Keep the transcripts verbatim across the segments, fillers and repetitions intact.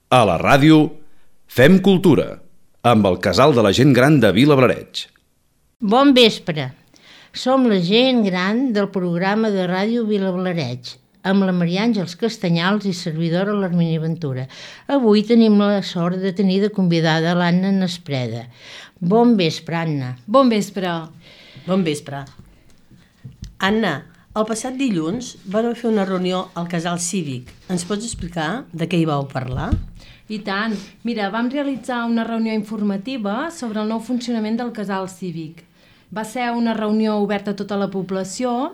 A la ràdio, Fem Cultura, amb el Casal de la Gent Gran de Vilablareix. Bon vespre. Som la gent gran del programa de ràdio Vilablareix, amb la Maria Àngels Castanyals i servidora l'Hermínia Ventura. Avui tenim la sort de tenir de convidada l'Anna Nespreda. Bon vespre, Anna. Bon vespre. Bon vespre. Anna, el passat dilluns vareu fer una reunió al Casal Cívic. Ens pots explicar de què hi vau parlar? I tant. Mira, vam realitzar una reunió informativa sobre el nou funcionament del Casal Cívic. Va ser una reunió oberta a tota la població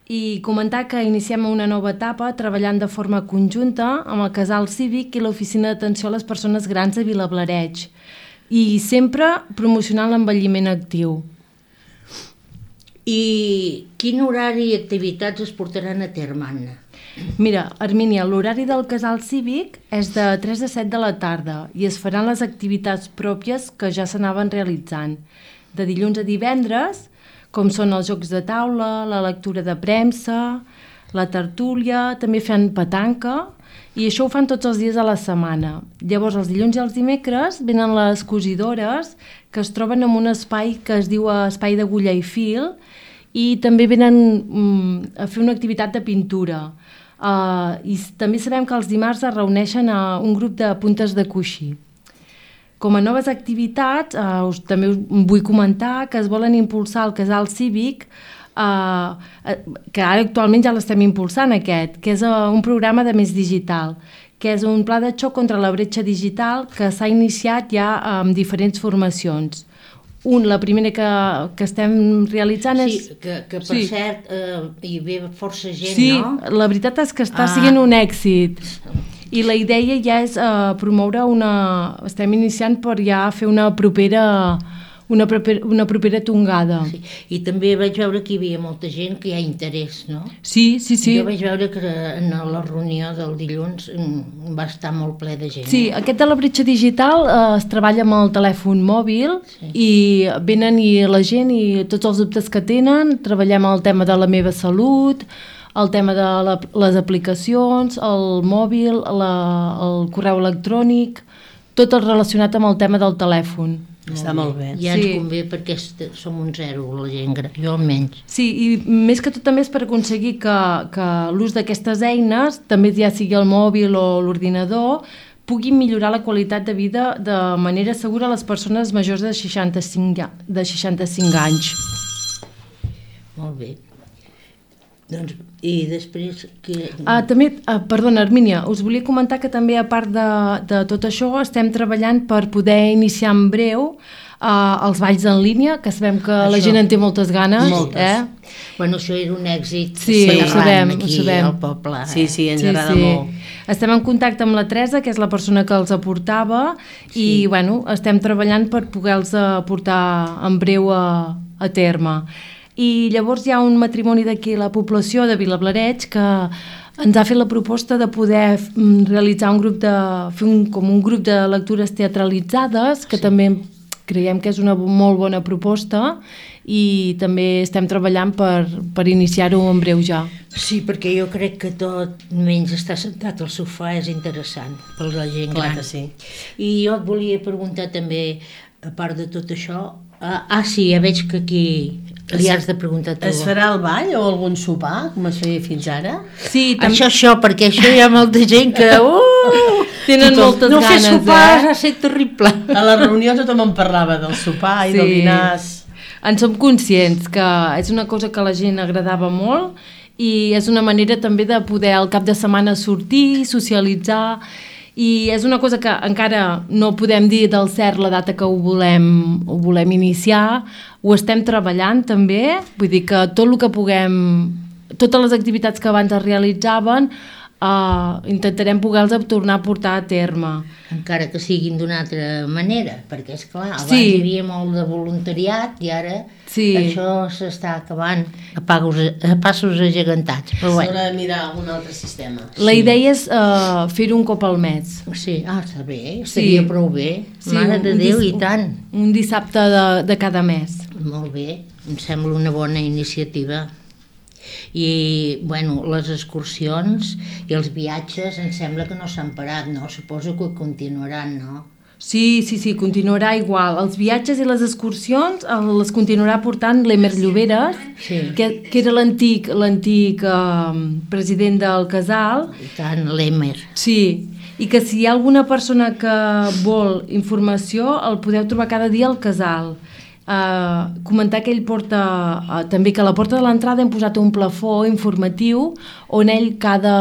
i comentar que iniciem una nova etapa treballant de forma conjunta amb el Casal Cívic i l'Oficina d'Atenció a les Persones Grans de Vilablareix i sempre promocionant l'envelliment actiu. I quin horari i activitats es portaran a terme, Anna? Mira, Hermínia, l'horari del Casal Cívic és de tres a set de la tarda i es faran les activitats pròpies que ja s'anaven realitzant. De dilluns a divendres, com són els jocs de taula, la lectura de premsa, la tertúlia, també fan petanca, i això ho fan tots els dies de la setmana. Llavors, els dilluns i els dimecres venen les cosidores, que es troben en un espai que es diu Espai d'Agulla i Fil, i també venen um, a fer una activitat de pintura. Uh, I també sabem que els dimarts es reuneixen a un grup de puntes de coixí. Com a noves activitats, uh, us, també us vull comentar que es volen impulsar el Casal Cívic, uh, que ara actualment ja l'estem impulsant aquest, que és uh, un programa de Més Digital, que és un pla de xoc contra la bretxa digital que s'ha iniciat ja amb diferents formacions. Un, la primera que, que estem realitzant és... Sí, que, que per sí. cert eh, hi ve força gent, sí, no? Sí, la veritat és que està ah. sent un èxit. I la idea ja és uh, promoure una... Estem iniciant per ja fer una propera... Una propera, una propera tongada. Sí. I també vaig veure que hi havia molta gent que hi ha interès, no? Sí, sí, sí. Jo vaig veure que en la reunió del dilluns va estar molt ple de gent. Sí, eh? Aquest de la bretxa digital eh, es treballa amb el telèfon mòbil sí. I venen i la gent i tots els dubtes que tenen, treballem el tema de la meva salut, el tema de la, les aplicacions, el mòbil, la, el correu electrònic, tot el relacionat amb el tema del telèfon. Molt Està bé. molt bé. Ja ens sí. convé perquè som un zero, la gent gran, jo almenys. Sí, i més que tot també és per aconseguir que, que l'ús d'aquestes eines, també ja sigui el mòbil o l'ordinador, puguin millorar la qualitat de vida de manera segura a les persones majors de seixanta-cinc, de seixanta-cinc anys. Molt bé. Doncs, i després... Que... Ah, també, ah, perdona, Hermínia, us volia comentar que també, a part de, de tot això, estem treballant per poder iniciar en breu uh, els balls en línia, que sabem que això, la gent en té moltes ganes. Moltes. Eh? Bueno, això era un èxit. Sí, ho sabem, aquí ho sabem. al poble. Eh? Sí, sí, ens sí, agrada sí. molt. Estem en contacte amb la Teresa, que és la persona que els aportava, sí. I bueno, estem treballant per poder-los portar en breu a, a terme. I llavors hi ha un matrimoni d'aquí a la població de Vilablareix que ens ha fet la proposta de poder realitzar un grup de, fer un, com un grup de lectures teatralitzades, que sí. També creiem que és una molt bona proposta i també estem treballant per, per iniciar-ho en breu ja. Sí, perquè jo crec que tot menys estar sentat al sofà és interessant per la gent Clar gran. que sí. I jo et volia preguntar també, a part de tot això, ah, ah sí, ja veig que aquí li has de preguntar tu. Es farà el ball o algun sopar, com es feia fins ara? Sí, tam... Això, això, perquè això hi ha molta gent que... Uh, tenen tothom, moltes no ganes, fer sopar eh? ha estat terrible. A la reunió tothom en parlava del sopar i sí. del dinars. En som conscients que és una cosa que a la gent agradava molt i és una manera també de poder al cap de setmana sortir, socialitzar, i és una cosa que encara no podem dir del cert la data que ho volem, ho volem iniciar, ho estem treballant també, vull dir que tot el que puguem, totes les activitats que abans es realitzaven, Uh, intentarem poder-los tornar a portar a terme. Encara que siguin d'una altra manera, perquè és clar, abans sí. hi havia molt de voluntariat i ara sí. això s'està acabant a, pagos, a passos agegantats. Però S'haurà bueno. de mirar algun altre sistema. La sí. idea és uh, fer-ho un cop al mes. Sí, ah, està bé, estaria sí. prou bé. Sí, Mare de Déu, dis- i tant. Un dissabte de, de cada mes. Molt bé, em sembla una bona iniciativa. I, bueno, les excursions i els viatges em sembla que no s'han parat, no? Suposo que continuaran, no? Sí, sí, sí, continuarà igual. Els viatges i les excursions eh, les continuarà portant l'Emer Lloberes, Sí. que, que era l'antic l'antic eh, president del casal. I tant, l'Emer. Sí, i que si hi ha alguna persona que vol informació, el podeu trobar cada dia al casal. Uh, comentar que ell porta uh, també que a la porta de l'entrada hem posat un plafó informatiu on ell cada,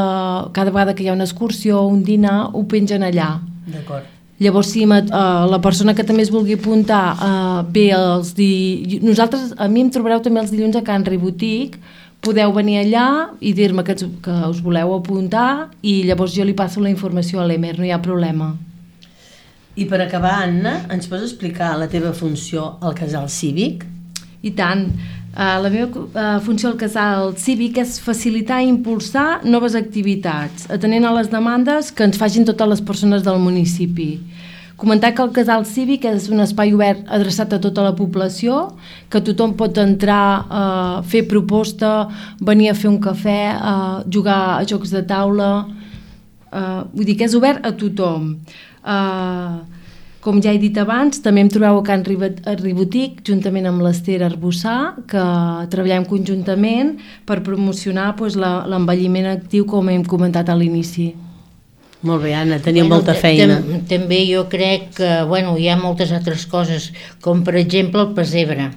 cada vegada que hi ha una excursió o un dinar ho pengen allà. D'acord. Llavors, si uh, la persona que també es vulgui apuntar uh, bé els di... Nosaltres, a mi em trobareu també els dilluns a Can Ribotic, podeu venir allà i dir-me que, que us voleu apuntar i llavors jo li passo la informació a l'Emer, no hi ha problema. I per acabar, Anna, ens pots explicar la teva funció al casal cívic? I tant. Uh, la meva uh, funció al casal cívic és facilitar i impulsar noves activitats, atenent a les demandes que ens facin totes les persones del municipi. Comentar que el casal cívic és un espai obert adreçat a tota la població, que tothom pot entrar, uh, fer proposta, venir a fer un cafè, uh, jugar a jocs de taula... Uh, vull dir que és obert a tothom. Uh, com ja he dit abans, també em trobeu a Can Ribotic, juntament amb l'Ester Arbussà, que treballem conjuntament per promocionar pues, l'envelliment actiu, com hem comentat a l'inici. Molt bé, Anna, teniu bueno, molta feina. També jo crec que bueno, hi ha moltes altres coses, com per exemple el pessebre.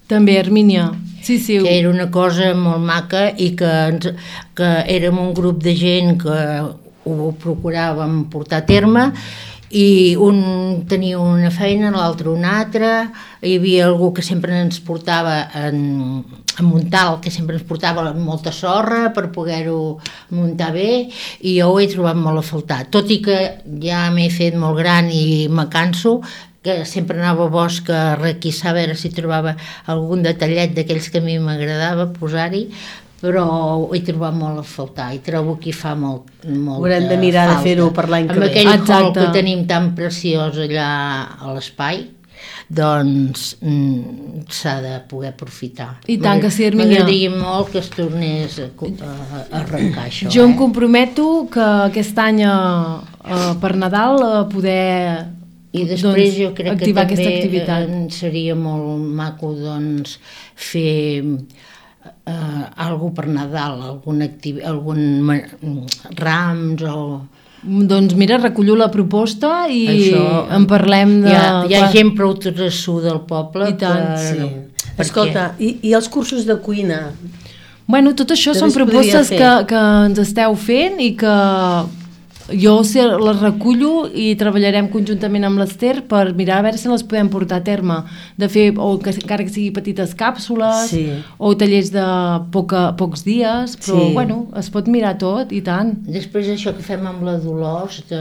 També, Hermínia. Sí, sí. Que era una cosa molt maca i que, ens, que érem un grup de gent que ho procuràvem portar a terme i un tenia una feina, l'altre una altra, hi havia algú que sempre ens portava en, en muntal, que sempre ens portava molta sorra per poder-ho muntar bé i jo ho he trobat molt a faltar, tot i que ja m'he fet molt gran i me canso, que sempre anava a bosc a requisar a veure si trobava algun detallet d'aquells que a mi m'agradava posar-hi, però ho he trobat molt a faltar i trobo que hi fa molt, molt Haurem de mirar falta. de fer-ho per l'any que amb ve. aquell Exacte. hall que tenim tan preciós allà a l'espai, doncs mm, s'ha de poder aprofitar. I tant que sí, Hermínia. M'agradaria molt que es tornés a, a arrencar això. Jo em eh? comprometo que aquest any a, a, per Nadal a poder I després doncs, jo crec que activar aquesta també activitat. eh, seria molt maco doncs, fer eh, algo per Nadal, algun, activ... algun rams o... Doncs mira, recollo la proposta i Això, en parlem de... Hi ha, hi ha gent prou trassuda del poble. I tant, per... Sí. Per Escolta, i, i els cursos de cuina? Bueno, tot això També són es podria propostes fer. que, que ens esteu fent i que jo se les recullo i treballarem conjuntament amb l'Ester per mirar a veure si les podem portar a terme, de fer, o que encara que sigui petites càpsules, Sí. o tallers de poca, pocs dies, però Sí. bueno, es pot mirar tot i tant. Després això que fem amb la Dolors de,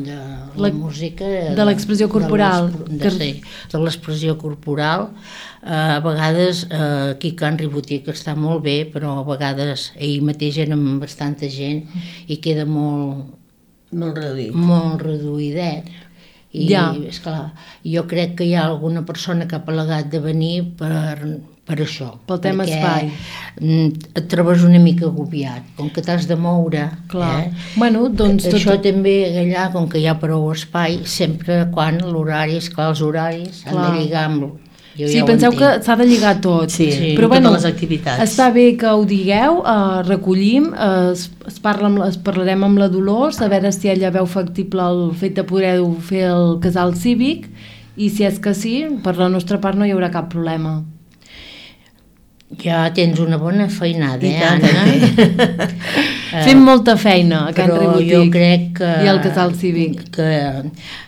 de la, La- música... de l'expressió corporal. De, Que- les- de, sí, de l'expressió corporal. Uh, a vegades uh, aquí a Can Ribotic està molt bé, però a vegades ahir mateix érem bastanta gent i queda molt, Molt reduït. molt reduïdet. I, Ja. esclar, jo crec que hi ha alguna persona que ha plegat de venir per, per això. Pel tema espai. mm, et trobes una mica agobiat, com que t'has de moure. Clar. Eh? Bueno, doncs tot... Això també allà, com que hi ha prou espai, sempre quan l'horari, esclar, els horaris han Clar. de lligar amb... Jo Sí, ja ho penseu que entenc. s'ha de lligar tot. Sí, sí, però totes bueno, les activitats. està bé que ho digueu, eh, recollim, eh, es, es, parla amb, la- es parlarem amb la Dolors, a veure si ella veu factible el fet de poder fer el casal cívic, i si és que sí, per la nostra part no hi haurà cap problema. Ja tens una bona feinada, I eh, tant, Anna? Eh, Fem molta feina a Can però Ribotic jo crec que... i al casal cívic. Que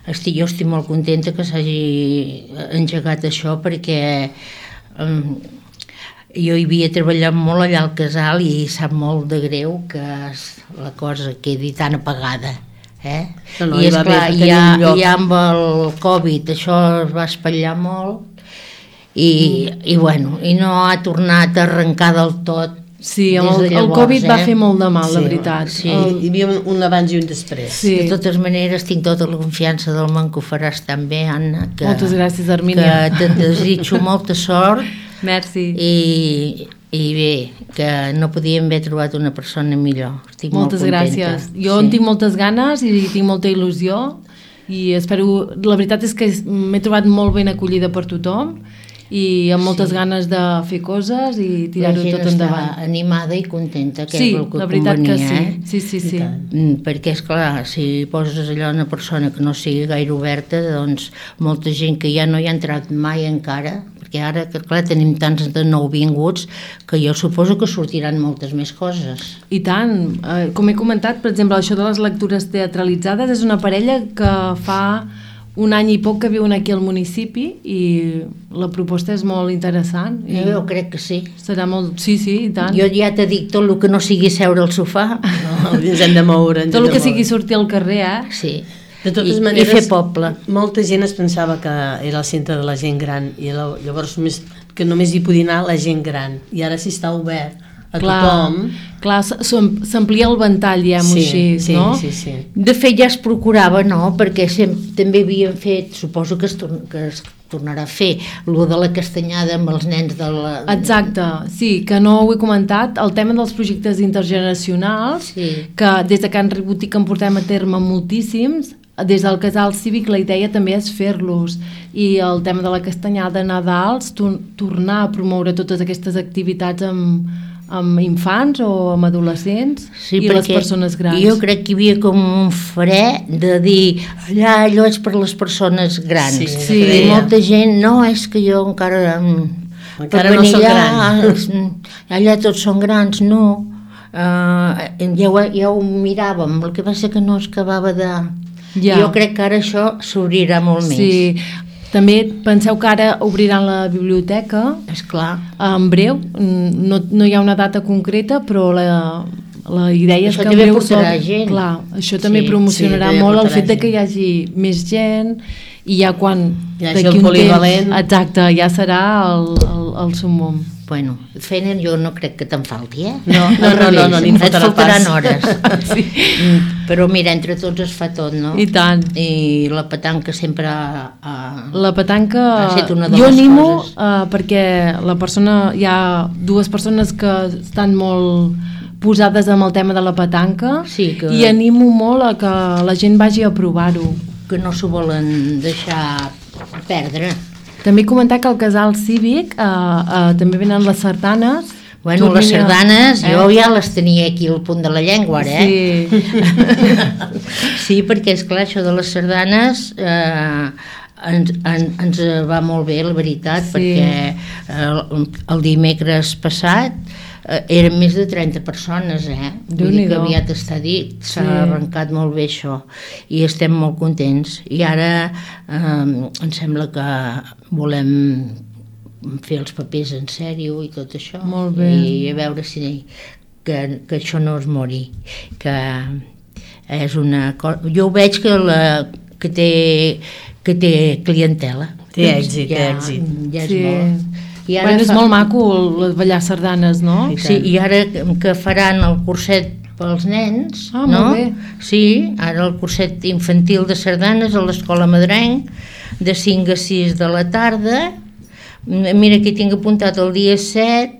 estic, jo estic molt contenta que s'hagi engegat això perquè um, jo hi havia treballat molt allà al casal i sap molt de greu que es- la cosa quedi tan apagada. Eh? No, no, I hi va esclar, haver- ja, tenir un lloc. ja amb el Covid això es va espatllar molt i, mm. i bueno, i no ha tornat a arrencar del tot. Sí, des el, de el llavors, Covid va eh? fer molt de mal, la Sí, veritat. sí. El, Hi havia un, un abans i un després. Sí. De totes maneres, tinc tota la confiança del món que ho faràs tan bé, Anna, que, Moltes gràcies, Hermínia. que te'n desitjo molta sort Merci. i, I bé, que no podíem haver trobat una persona millor. Estic Moltes molt contenta. gràcies. Jo sí. en tinc moltes ganes i tinc molta il·lusió i espero... La veritat és que m'he trobat molt ben acollida per tothom i amb moltes sí. ganes de fer coses i tirar-ho tot endavant. La gent està animada i contenta, que sí, és el que la veritat convenia, que sí. Eh? Sí, sí, sí. Mm, perquè, esclar, si poses allò una persona que no sigui gaire oberta, doncs molta gent que ja no hi ha entrat mai encara, perquè ara, que clar, tenim tants de nouvinguts que jo suposo que sortiran moltes més coses. I tant. Eh, com he comentat, per exemple, això de les lectures teatralitzades és una parella que fa un any i poc que viuen aquí al municipi i la proposta és molt interessant. I jo crec que sí. Serà molt... Sí, sí, i tant. Jo ja t'he dit tot el que no sigui seure al sofà. No, ens hem de moure. Tot el que sigui sortir al carrer, eh? Sí. De totes I, maneres, i fer poble. Molta gent es pensava que era el centre de la gent gran i llavors que només hi podia anar la gent gran i ara sí està obert a clar, tothom. Clar, s'amplia el ventall, diguem-ho sí, així, sí, no? Sí, sí. De fet ja es procurava, no? Perquè sempre, també havien fet, suposo que es, tor que es tornarà a fer, lo de la castanyada amb els nens de la... Exacte, sí, que no ho he comentat, el tema dels projectes intergeneracionals, sí. que des de Can Rebotic en portem a terme moltíssims, des del casal cívic la idea també és fer-los i el tema de la castanyada a Nadals, tor tornar a promoure totes aquestes activitats amb, amb infants o amb adolescents sí, i les persones grans. Jo crec que hi havia com un fre de dir allà allò és per les persones grans. Sí, sí. I molta gent, no, és que jo encara... Encara no soc gran. Allà tots són grans, no. Uh, ja, ho, ja ho miràvem, el que va ser que no es acabava de... Ja. Jo crec que ara això s'obrirà molt més. Sí, també penseu que ara obriran la biblioteca. Esclar. En breu, no, no hi ha una data concreta, però la, la idea això és que en breu... Això també gent. Clar, això també sí, promocionarà sí, molt el fet gent. de que hi hagi més gent i ja quan... Ja hagi el polivalent. Temps, exacte, ja serà el, el, el sumum. Bueno, feina jo no crec que te'n falti, eh? No, no, no, no, no, no et faltaran pas. Hores. Sí. Però mira, entre tots es fa tot, no? I tant. I la petanca sempre ha... ha la petanca... Ha estat una de jo les animo coses. Uh, perquè la persona... Hi ha dues persones que estan molt posades amb el tema de la petanca sí, que... i animo molt a que la gent vagi a provar-ho. Que no s'ho volen deixar perdre. També comentar que al casal cívic eh, eh, també venen les sardanes. Bueno, les sardanes, eh? Jo ja les tenia aquí al punt de la llengua, ara, eh? Sí. Sí, perquè esclar, això de les sardanes eh, ens, en, ens va molt bé, la veritat, sí. Perquè el, el dimecres passat eh, eren més de trenta persones, eh? Vull dir que aviat està dit, s'ha sí. arrencat molt bé això i estem molt contents. I ara eh, em sembla que volem fer els papers en sèrio i tot això. Molt bé. I a veure si que, que això no es mori, que és una cosa... Jo ho veig que, la, que, té, que té clientela. Té èxit, ja, té èxit. Ja és sí. molt... I ara bueno, és fa... molt maco el ballar sardanes, no? Sí, i ara que faran el curset pels nens, ah, no? Molt bé. Sí, ara el curset infantil de sardanes a l'Escola Madrenc, de cinc a sis de la tarda. Mira, aquí tinc apuntat el dia set,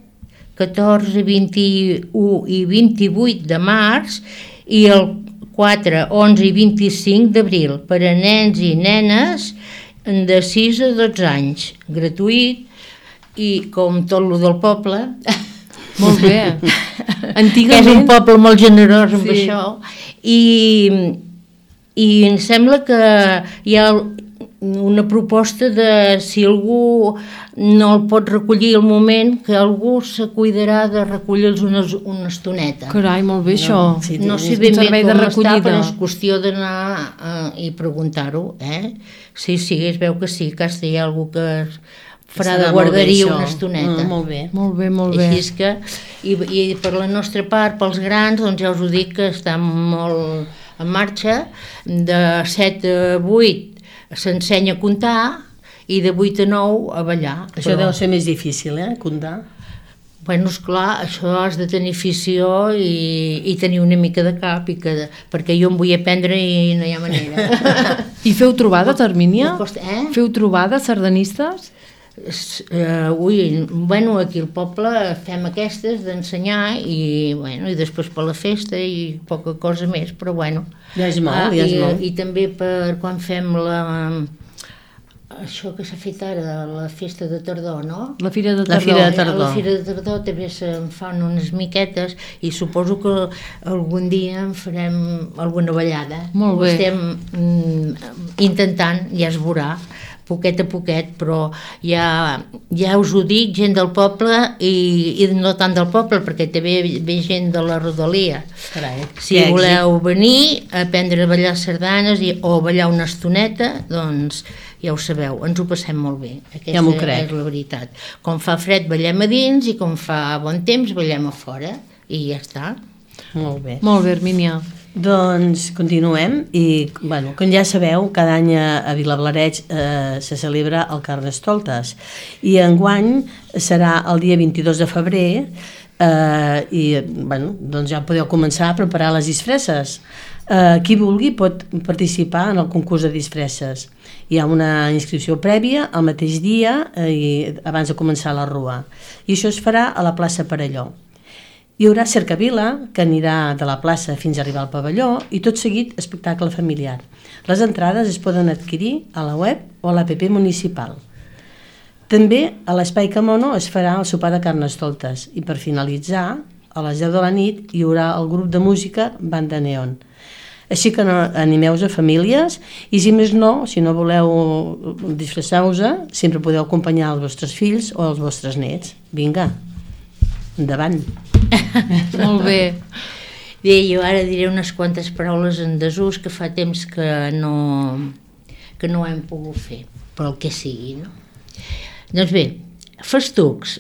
catorze, vint-i-u i vint-i-vuit de març i el quatre, onze i vint-i-cinc d'abril per a nens i nenes de sis a dotze anys, gratuït i com tot lo del poble. Molt bé. Antigament... És un poble molt generós amb sí. això i, i em sembla que hi ha una proposta de si algú no el pot recollir al moment, que algú se cuidarà de recollir-los una, una estoneta. Carai, molt bé això. No, sí, no sé ben bé com està, però és qüestió d'anar uh, i preguntar-ho, eh? Sí, sí, es veu que sí, que hi ha algú que farà de guarderia una estoneta. Mm, molt bé. Molt bé, molt bé. Així és que, i, i per la nostra part, pels grans, doncs ja us ho dic que està molt en marxa, de set a vuit s'ensenya a comptar i de vuit a nou a ballar. Això però... deu ser més difícil, eh, comptar? Bueno, esclar, això has de tenir afició i, i tenir una mica de cap, i que, perquè jo em vull aprendre i no hi ha manera. I feu trobades, Hermínia? Costa, eh? Feu trobades sardanistes? Uh, ui, bueno, aquí al poble fem aquestes d'ensenyar i, bueno, i després per la festa i poca cosa més, però bueno. Ja és molt, ah, ja és i, molt. I també per quan fem la... això que s'ha fet ara, la festa de tardor, no? La Fira de La Tardor. Fira de Tardor. A la Fira de Tardor també se'n fan unes miquetes i suposo que algun dia en farem alguna ballada. Molt bé. Ho estem mm, intentant, ja es veurà, poquet a poquet, però ja, ja us ho dic, gent del poble i, i no tant del poble, perquè també ve gent de la rodalia. Carai, Si que voleu venir a aprendre a ballar sardanes i, o ballar una estoneta, doncs ja ho sabeu, ens ho passem molt bé. Aquesta Ja m'ho crec. és la veritat. Com fa fred ballem a dins i com fa bon temps ballem a fora i ja està. Molt bé. Molt bé, Hermínia. Doncs continuem i, bueno, com ja sabeu, cada any a Vilablareix eh, se celebra el Carnestoltes i enguany serà el dia vint-i-dos de febrer eh, i, bueno, doncs ja podeu començar a preparar les disfresses. Eh, qui vulgui pot participar en el concurs de disfresses. Hi ha una inscripció prèvia el mateix dia eh, i abans de començar la rua. I això es farà a la plaça Perelló. Hi haurà cercavila, que anirà de la plaça fins a arribar al pavelló, i tot seguit espectacle familiar. Les entrades es poden adquirir a la web o a l'app municipal. També a l'Espai Camono es farà el sopar de Carnestoltes i per finalitzar, a les deu de la nit, hi haurà el grup de música Banda Neon. Així que no, animeu-vos a famílies i si més no, si no voleu disfressar-vos, sempre podeu acompanyar els vostres fills o els vostres nets. Vinga, endavant. Molt bé. Bé, jo ara diré unes quantes paraules en desús que fa temps que no, que no hem pogut fer, per el que sigui, no? Doncs bé, festucs.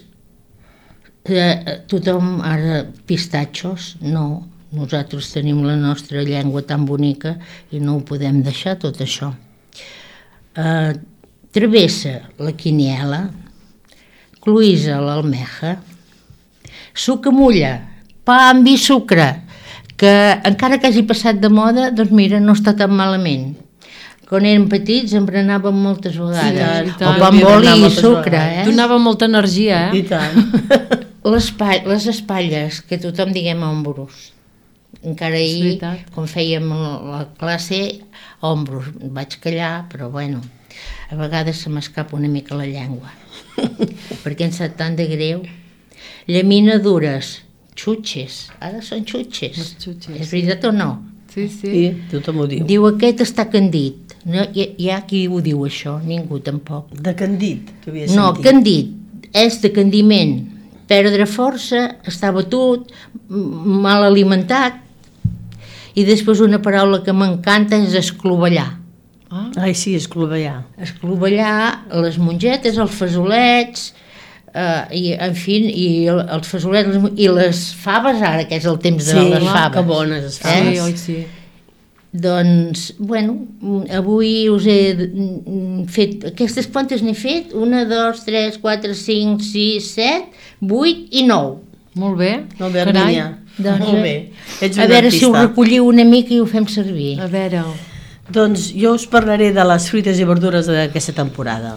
Eh, tothom ara pistatxos, no. Nosaltres tenim la nostra llengua tan bonica i no ho podem deixar, tot això. Eh, travessa, la quiniela. Cloïsa, l'almeja. Sucamulla, pa amb vi sucre, que encara que hagi passat de moda, doncs mira, no està tan malament. Quan érem petits em berenàvem moltes vegades. I tant, o pa amb oli i sucre, vegades. eh? Donava molta energia, eh? I tant. Les, pa les espatlles, que tothom diguem ombros. Encara És ahir, veritat. quan fèiem la classe, ombros. Vaig callar, però bueno, a vegades se m'escapa una mica la llengua. Perquè em sap tant de greu. Llaminadures, xutxes, ara són xutxes. Les xutxes, És veritat o no? Sí, sí. Sí, tothom ho diu. Diu aquest està candit. No, hi, hi ha qui ho diu això, ningú tampoc. De candit, que havia No, sentit. candit és de candiment, perdre força, estar batut, m- mal alimentat. I després una paraula que m'encanta és esclovellar. Ah, Ai, sí, és clovellar. Esclovellar les mongetes, els fesolets, eh, i, en fi, i el- els fesolets les mon- i les faves ara, que és el temps de Sí, les clar, faves. que bones les sí, faves. oi, sí. Doncs, bueno, avui us he mm, fet, aquestes quantes n'he fet? Una, dos, tres, quatre, cinc, sis, set, vuit i nou. Molt bé. Molt bé, Carai. Hermínia. Doncs, Molt bé. Ets A una veure si ho artista. recolliu una mica i ho fem servir. A veure, Doncs jo us parlaré de les fruites i verdures d'aquesta temporada,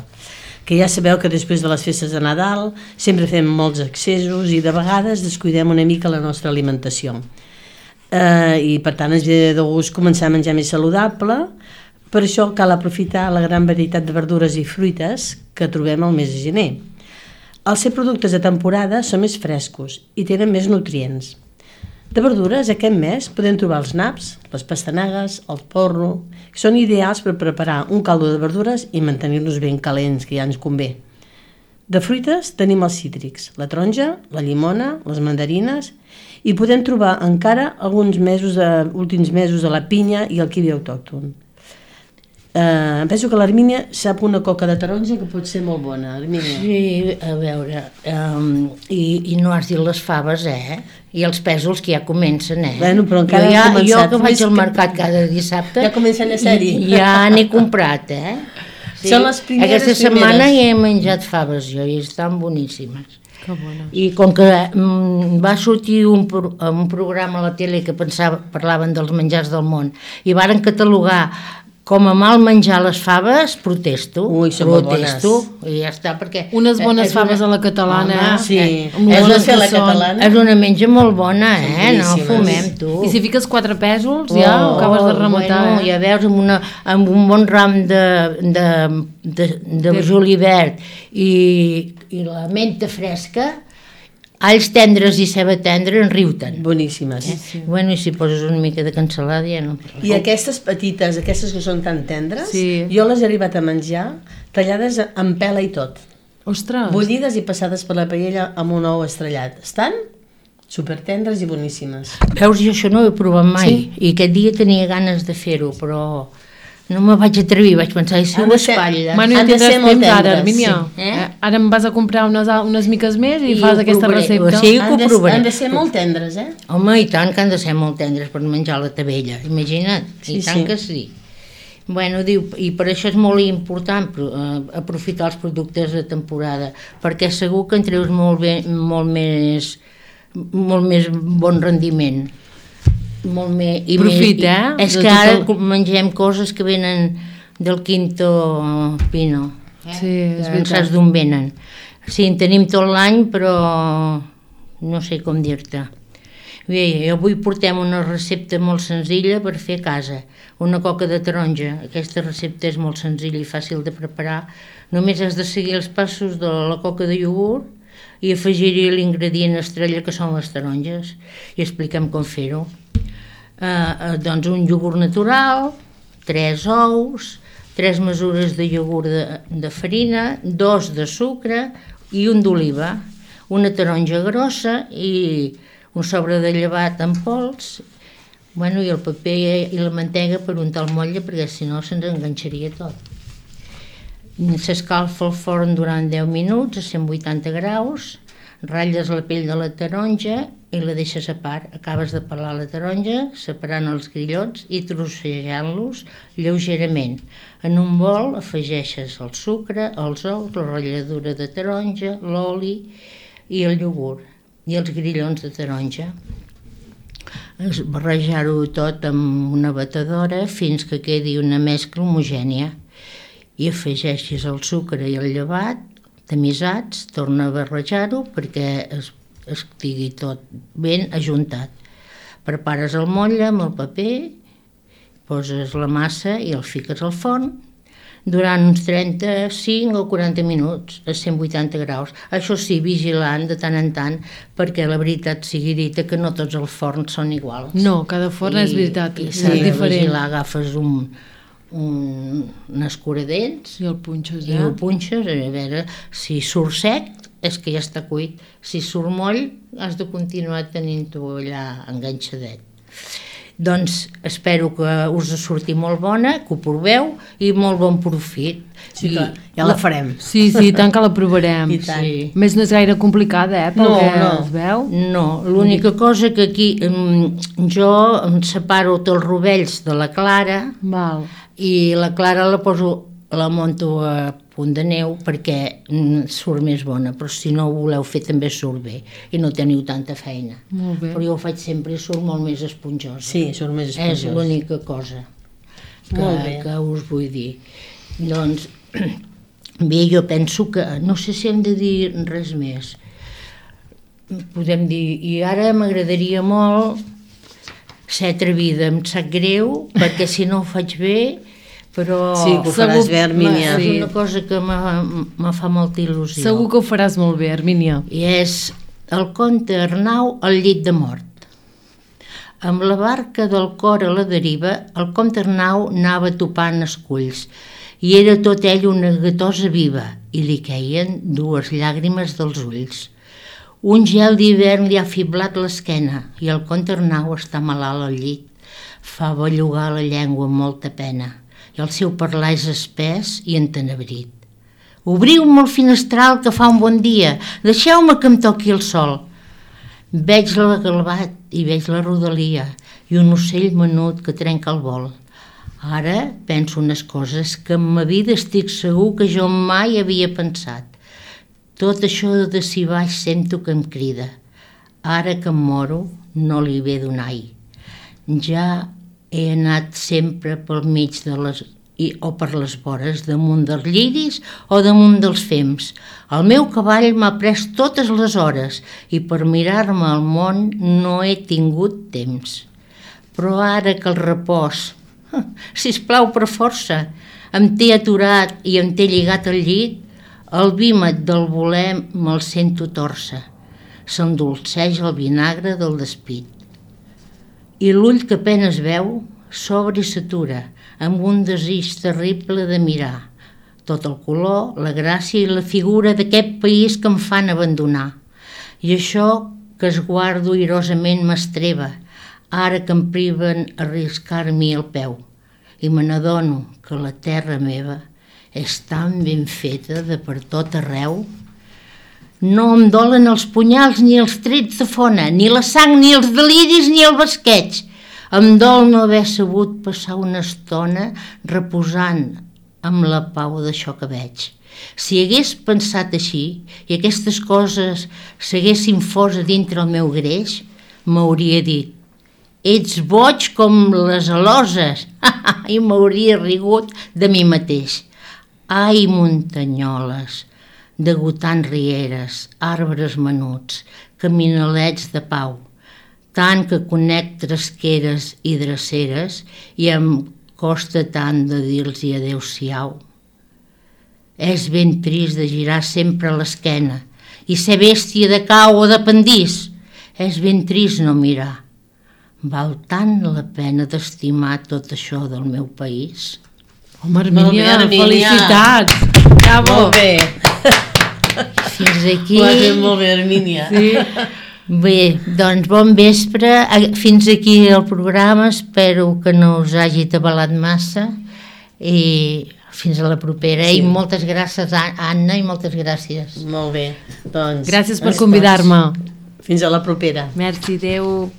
que ja sabeu que després de les festes de Nadal sempre fem molts excessos i de vegades descuidem una mica la nostra alimentació. Eh, I per tant ens ve de gust començar a menjar més saludable, per això cal aprofitar la gran varietat de verdures i fruites que trobem al mes de gener. Al ser productes de temporada són més frescos i tenen més nutrients. De verdures, aquest mes podem trobar els naps, les pastanagues, el porro, que són ideals per preparar un caldo de verdures i mantenir-nos ben calents, que ja ens convé. De fruites tenim els cítrics, la taronja, la llimona, les mandarines i podem trobar encara alguns mesos, de, últims mesos de la pinya i el kiwi autòcton. Eh, penso que l'Hermínia sap una coca de taronja que pot ser molt bona, Hermínia. Sí, a veure, um, i, i no has dit les faves, eh? I els pèsols que ja comencen, eh? Bueno, però encara jo, ja, han començat. jo que vaig Més al que- mercat cada dissabte... Ja comencen a ser-hi. Ja n'he comprat, eh? Són les primeres, Aquesta setmana primeres. ja he menjat faves jo i estan boníssimes. que bona. I com que mm, va sortir un, pro, un programa a la tele que pensava, parlaven dels menjars del món i varen catalogar com a mal menjar les faves, protesto. Ui, són molt bones. Protesto, i ja està, perquè... Unes bones és faves una- a la catalana. Home, Sí, eh, amb és bones una fer la que són. catalana. És una menja molt bona, Són eh? No boníssimes. fumem, tu. I si fiques quatre pèsols, ja ho acabes de rematar. Bueno, eh? ja veus, amb, una, amb un bon ram de, de, de, de, de julivert i, i la menta fresca, alls tendres i ceba tendra en riu-te'n. Boníssimes. Eh? Sí. Bueno, i si poses una mica de cansalada ja no... I aquestes petites, aquestes que són tan tendres, Sí. jo les he arribat a menjar tallades amb pela i tot. Ostres! Bullides i passades per la paella amb un ou estrellat. Estan supertendres i boníssimes. Veus, jo això no ho he provat mai, sí? I aquest dia tenia ganes de fer-ho, però no me vaig atrevir, vaig pensar, i si Han ho de ser- espatlles? Bueno, ja Han de tindràs ser molt temps ara, tendres, Armínia. sí. Eh? Eh? Ara em vas a comprar unes, unes miques més i, I fas ho aquesta provaré. recepta. O sigui, que Han ho de, provaré. han de ser molt tendres, eh? Home, i tant que han de ser molt tendres per menjar la tabella, imagina't, Sí, i tant sí. que sí. Bueno, diu, i per això és molt important pro- eh, aprofitar els productes de temporada, perquè segur que en treus molt, bé, molt més molt més bon rendiment. Molt més, i Profit, més, eh? I, és De que tot ara el- mengem coses que venen del Quinto Pino. Eh? Sí, és Que no veritat. saps d'on venen. Sí, en tenim tot l'any, però no sé com dir-te. Bé, avui portem una recepta molt senzilla per fer a casa. Una coca de taronja. Aquesta recepta és molt senzilla i fàcil de preparar. Només has de seguir els passos de la coca de iogurt i afegir-hi l'ingredient estrella que són les taronges. I expliquem com fer-ho. Eh, eh, doncs un iogurt natural, tres ous, tres mesures de iogurt de, de farina, dos de sucre i un d'oliva, una taronja grossa i un sobre de llevat en pols, bueno, i el paper i la mantega per untar el motlle perquè si no se'ns enganxaria tot. S'escalfa el forn durant deu minuts a cent vuitanta graus, ratlles la pell de la taronja i la deixes a part. Acabes de pelar la taronja, separant els grillots i trossejant-los lleugerament. En un bol afegeixes el sucre, els ous, la ratlladura de taronja, l'oli i el iogurt i els grillons de taronja. Es- Barrejar-ho tot amb una batedora fins que quedi una mescla homogènia i afegeixis el sucre i el llevat tamisats, torna a barrejar-ho perquè es, estigui tot ben ajuntat. Prepares el motlle amb el paper, poses la massa i el fiques al forn durant uns trenta-cinc o quaranta minuts a cent vuitanta graus. Això sí, vigilant de tant en tant, perquè la veritat sigui dita que no tots els forns són iguals. No, cada forn és veritat, I és s'ha de diferent. vigilar, agafes un, un, un escuradents I el punxes, i eh? ho punxes, a veure, si surt sec és que ja està cuit, si surt moll has de continuar tenint-ho allà enganxadet. Doncs espero que us surti molt bona, que ho proveu i molt bon profit. Sí, I, que ja la farem. Sí, sí, tant que la provarem. I tant. Sí. Més no és gaire complicada, eh, pel No, que no. es veu. No, l'única cosa que aquí em, jo em separo tots els rovells de la clara Val. i la clara la poso, la monto a punt de neu perquè mm, surt més bona, però si no ho voleu fer també surt bé i no teniu tanta feina. Molt bé. Però jo ho faig sempre i surt molt més esponjosa. Sí, surt més És esponjós. l'única cosa que, Molt bé. que us vull dir. Doncs, bé, jo penso que, no sé si hem de dir res més. Podem dir, i ara m'agradaria molt ser atrevida, em sap greu, perquè si no ho faig bé, però Sí, que ho faràs Segur- bé, Armínia. és Sí. una cosa que me, me fa molta il·lusió. Segur que ho faràs molt bé, Armínia. I és el conte Arnau al llit de mort. Amb la barca del cor a la deriva, el comte Arnau anava topant esculls i era tot ell una gatosa viva i li queien dues llàgrimes dels ulls. Un gel d'hivern li ha fiblat l'esquena i el comte Arnau està malalt al llit. Fa bellugar la llengua amb molta pena i el seu parlar és espès i entenebrit. Obriu-me el finestral que fa un bon dia, deixeu-me que em toqui el sol. Veig la galbat i veig la rodalia i un ocell menut que trenca el vol. Ara penso unes coses que en ma vida estic segur que jo mai havia pensat. Tot això de si baix sento que em crida. Ara que em moro no li ve donai. Ja he anat sempre pel mig de les i, o per les vores, damunt dels lliris o damunt dels fems. El meu cavall m'ha pres totes les hores i per mirar-me al món no he tingut temps. Però ara que el repòs, sisplau per força, em té aturat i em té lligat al llit, el vímet del voler me'l sento torça. S'endolceix el vinagre del despit. I l'ull que apenes veu s'obre i s'atura amb un desig terrible de mirar tot el color, la gràcia i la figura d'aquest país que em fan abandonar. I això que es guardo irosament m'estreva, ara que em priven arriscar-m'hi el peu. I me n'adono que la terra meva és tan ben feta de per tot arreu. No em dolen els punyals ni els trets de fona, ni la sang, ni els deliris, ni el basqueig. Em dol no haver sabut passar una estona reposant amb la pau d'això que veig. Si hagués pensat així i aquestes coses s'haguessin fos a dintre el meu greix, m'hauria dit: ets boig com les aloses, i m'hauria rigut de mi mateix. Ai, muntanyoles, degotant rieres, arbres menuts, caminalets de pau, tant que conec tresqueres i dreceres i em costa tant de dir-los adéu-siau. És ben trist de girar sempre l'esquena i ser bèstia de cau o de pendís. És ben trist no mirar. Val tant la pena d'estimar tot això del meu país? Home, Armínia, felicitats! Bravo! Molt bé! Fins aquí... Ho has fet molt bé, Armínia. Sí. Bé, doncs bon vespre. Fins aquí el programa. Espero que no us hagi atabalat massa i fins a la propera. Sí. I moltes gràcies, Anna, i moltes gràcies. Molt bé. Doncs, gràcies per convidar-me. Fins a la propera. Merci, adeu.